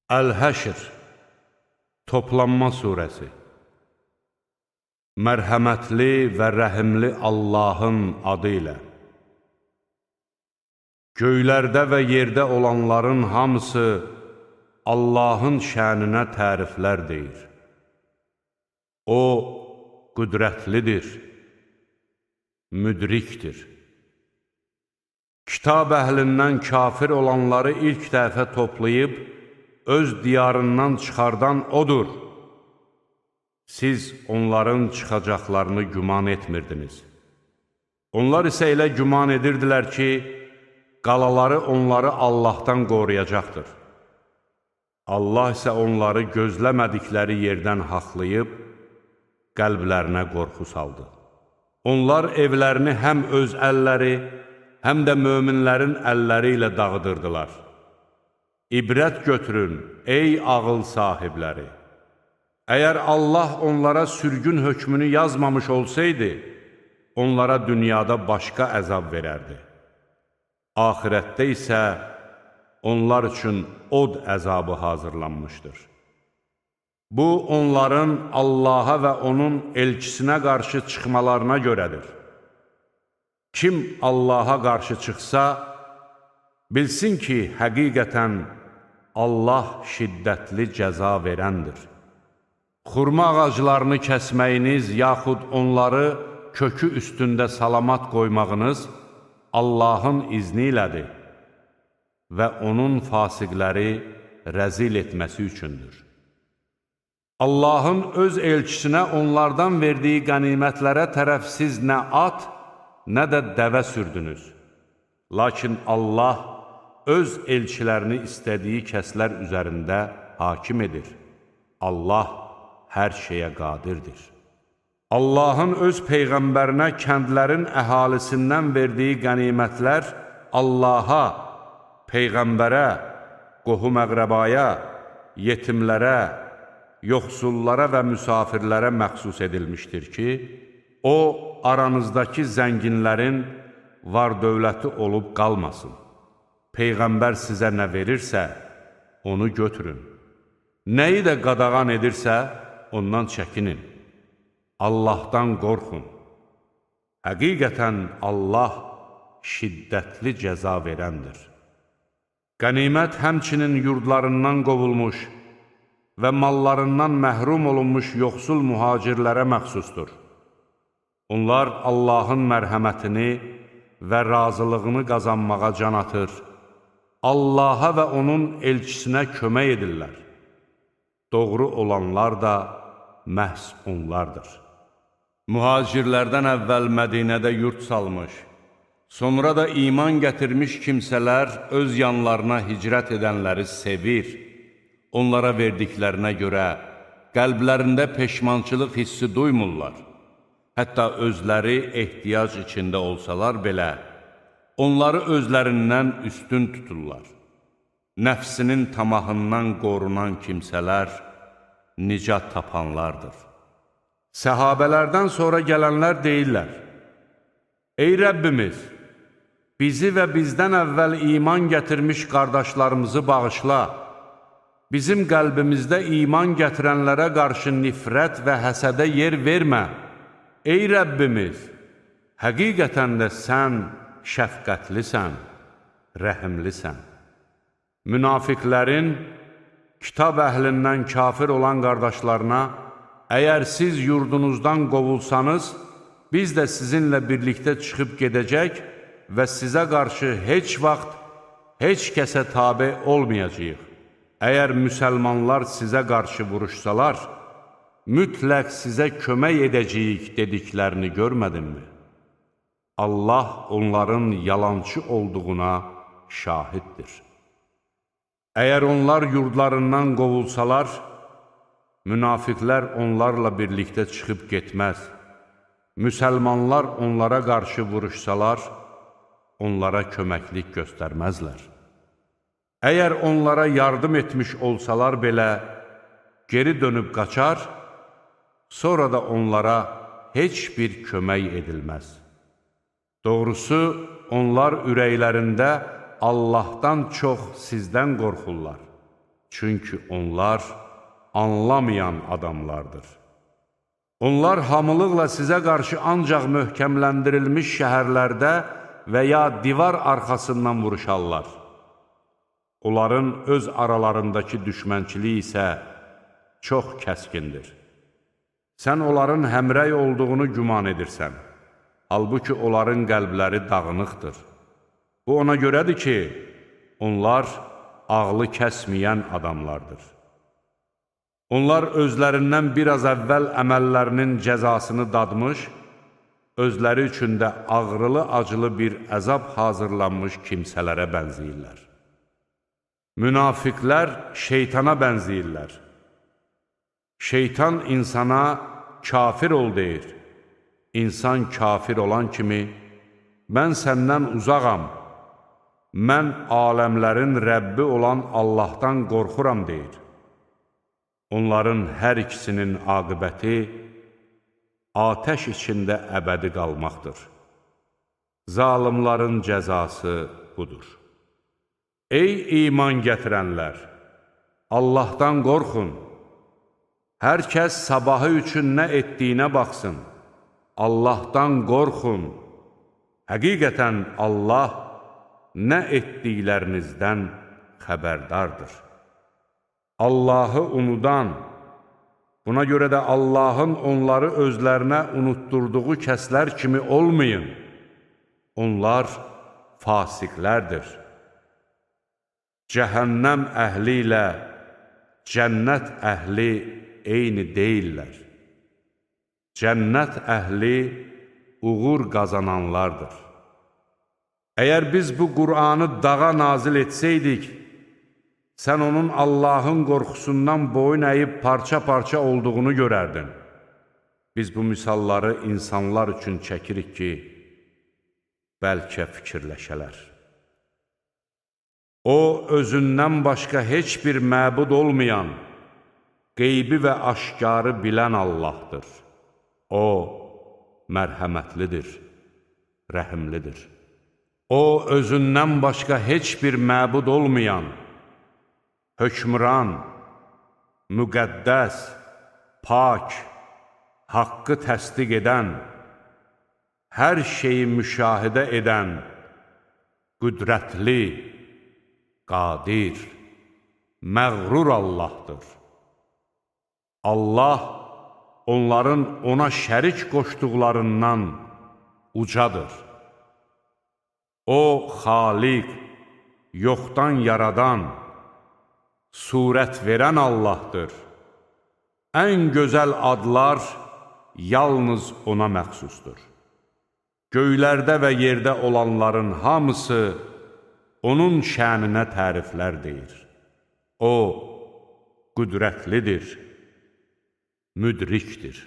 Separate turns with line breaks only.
Əl-Həşr Toplanma Suresi Mərhəmətli və rəhimli Allahın adı ilə Göylərdə və yerdə olanların hamısı Allahın şəninə təriflər deyir. O, qüdrətlidir, müdrikdir. Kitab əhlindən kafir olanları ilk dəfə toplayıb, öz diyarından çıxardan odur. Siz onların çıxacaqlarını güman etmirdiniz. Onlar isə elə güman edirdilər ki, qalaları onları Allahdan qoruyacaqdır. Allah isə onları gözləmədikləri yerdən haqlayıb, qəlblərinə qorxu saldı. Onlar evlərini həm öz əlləri, həm də möminlərin əlləri ilə dağıdırdılar. İbrət götürün, ey ağıl sahibləri! Əgər Allah onlara sürgün hökmünü yazmamış olsaydı, onlara dünyada başqa əzab verərdi. Ahirətdə isə onlar üçün od əzabı hazırlanmışdır. Bu, onların Allaha və onun elçisinə qarşı çıxmalarına görədir. Kim Allaha qarşı çıxsa, bilsin ki, həqiqətən Allah şiddətli cəza verəndir. Xurma ağaclarını kəsməyiniz, yaxud onları kökü üstündə salamat qoymağınız Allahın izni ilədir və onun fasiqləri rəzil etməsi üçündür. Allahın öz elçisinə onlardan verdiyi qənimətlərə tərəf siz nə at, nə də dəvə sürdünüz. Lakin Allah öz elçilərini istədiyi kəslər üzərində hakim edir. Allah hər şeyə qadirdir. Allahın öz Peyğəmbərinə kəndlərin əhalisindən verdiyi qənimətlər Allaha, Peyğəmbərə, qohum-əqrəbaya, yetimlərə, yoxsullara və müsafirlərə məxsus edilmişdir ki, o, aranızdakı zənginlərin var-dövləti olub qalmasın. Peyğəmbər sizə nə verirsə, onu götürün. Nəyi də qadağan edirsə, ondan çəkinin. Allahdan qorxun. Həqiqətən Allah şiddətli cəza verəndir. Qənimət həmçinin yurdlarından qovulmuş və mallarından məhrum olunmuş yoxsul mühacirlərə məxsusdur. Onlar Allahın mərhəmətini və razılığını qazanmağa can atır, Allaha və onun elçisinə kömək edirlər. Doğru olanlar da məhz onlardır. Mühacirlərdən əvvəl Mədinədə yurt salmış, sonra da iman gətirmiş kimsələr öz yanlarına hicrət edənləri sevir, onlara verdiklərinə görə qəlblərində peşmançılıq hissi duymurlar. Hətta özləri ehtiyac içində olsalar belə, onları özlərindən üstün tuturlar. Nəfsinin tamahından qorunan kimsələr nicat tapanlardır. Səhabələrdən sonra gələnlər deyirlər, ey Rəbbimiz, bizi və bizdən əvvəl iman gətirmiş qardaşlarımızı bağışla, bizim qəlbimizdə iman gətirənlərə qarşı nifrət və həsədə yer vermə. Ey Rəbbimiz, həqiqətən də sən şəfqətlisən, rəhimlisən. Münafiqlərin kitab əhlindən kafir olan qardaşlarına, əgər siz yurdunuzdan qovulsanız, biz də sizinlə birlikdə çıxıb gedəcək və sizə qarşı heç vaxt, heç kəsə tabe olmayacağıq. Əgər müsəlmanlar sizə qarşı vuruşsalar, mütləq sizə kömək edəcəyik dediklərini görmədinmi? Allah onların yalançı olduğuna şahiddir. Əgər onlar yurdlarından qovulsalar, münafiqlər onlarla birlikdə çıxıb getməz. Müsəlmanlar onlara qarşı vuruşsalar, onlara köməklik göstərməzlər. Əgər onlara yardım etmiş olsalar belə, geri dönüb qaçar, sonra da onlara heç bir kömək edilməz. Doğrusu, onlar ürəklərində Allahdan çox sizdən qorxurlar. Çünki onlar anlamayan adamlardır. Onlar hamılıqla sizə qarşı ancaq möhkəmləndirilmiş şəhərlərdə və ya divar arxasından vuruşarlar. Onların öz aralarındakı düşmənçiliyi isə çox kəskindir. Sən onların həmrəy olduğunu güman edirsən. Halbuki onların qəlbləri dağınıqdır. Bu ona görədir ki, onlar ağlı kəsməyən adamlardır. Onlar özlərindən biraz əvvəl əməllərinin cəzasını dadmış, özləri üçün də ağrılı-acılı bir əzab hazırlanmış kimsələrə bənzəyirlər. Münafiqlər şeytana bənzəyirlər. Şeytan insana kafir ol deyir. İnsan kafir olan kimi, mən səndən uzağam, mən aləmlərin Rəbbi olan Allahdan qorxuram deyir. Onların hər ikisinin aqibəti atəş içində əbədi qalmaqdır. Zalimların cəzası budur. Ey iman gətirənlər! Allahdan qorxun! Hər kəs sabahı üçün nə etdiyinə baxsın. Allahdan qorxun! Həqiqətən Allah nə etdiklərinizdən xəbərdardır. Allahı unudan, buna görə də Allahın onları özlərinə unutturduğu kəslər kimi olmayın. Onlar fasiqlərdir. Cəhənnəm əhli ilə cənnət əhli eyni deyillər. Cənnət əhli uğur qazananlardır. Əgər biz bu Qur'anı dağa nazil etsəydik, sən onun Allahın qorxusundan boyun əyib parça-parça olduğunu görərdin. Biz bu misalları insanlar üçün çəkirik ki, bəlkə fikirləşələr. O, özündən başqa heç bir məbud olmayan, qeybi və aşkarı bilən Allahdır. O, mərhəmətlidir, rəhimlidir. O, özündən başqa heç bir məbud olmayan, hökmran, müqəddəs, pak, haqqı təsdiq edən, hər şeyi müşahidə edən, qüdrətli, qadir, məğrur Allahdır. Allah onların ona şərik qoşduqlarından ucadır. O, xaliq, yoxdan yaradan, surət verən Allahdır. Ən gözəl adlar yalnız ona məxsusdur. Göylərdə və yerdə olanların hamısı onun şəninə təriflər deyir. O, qüdrətlidir, müdrikdir.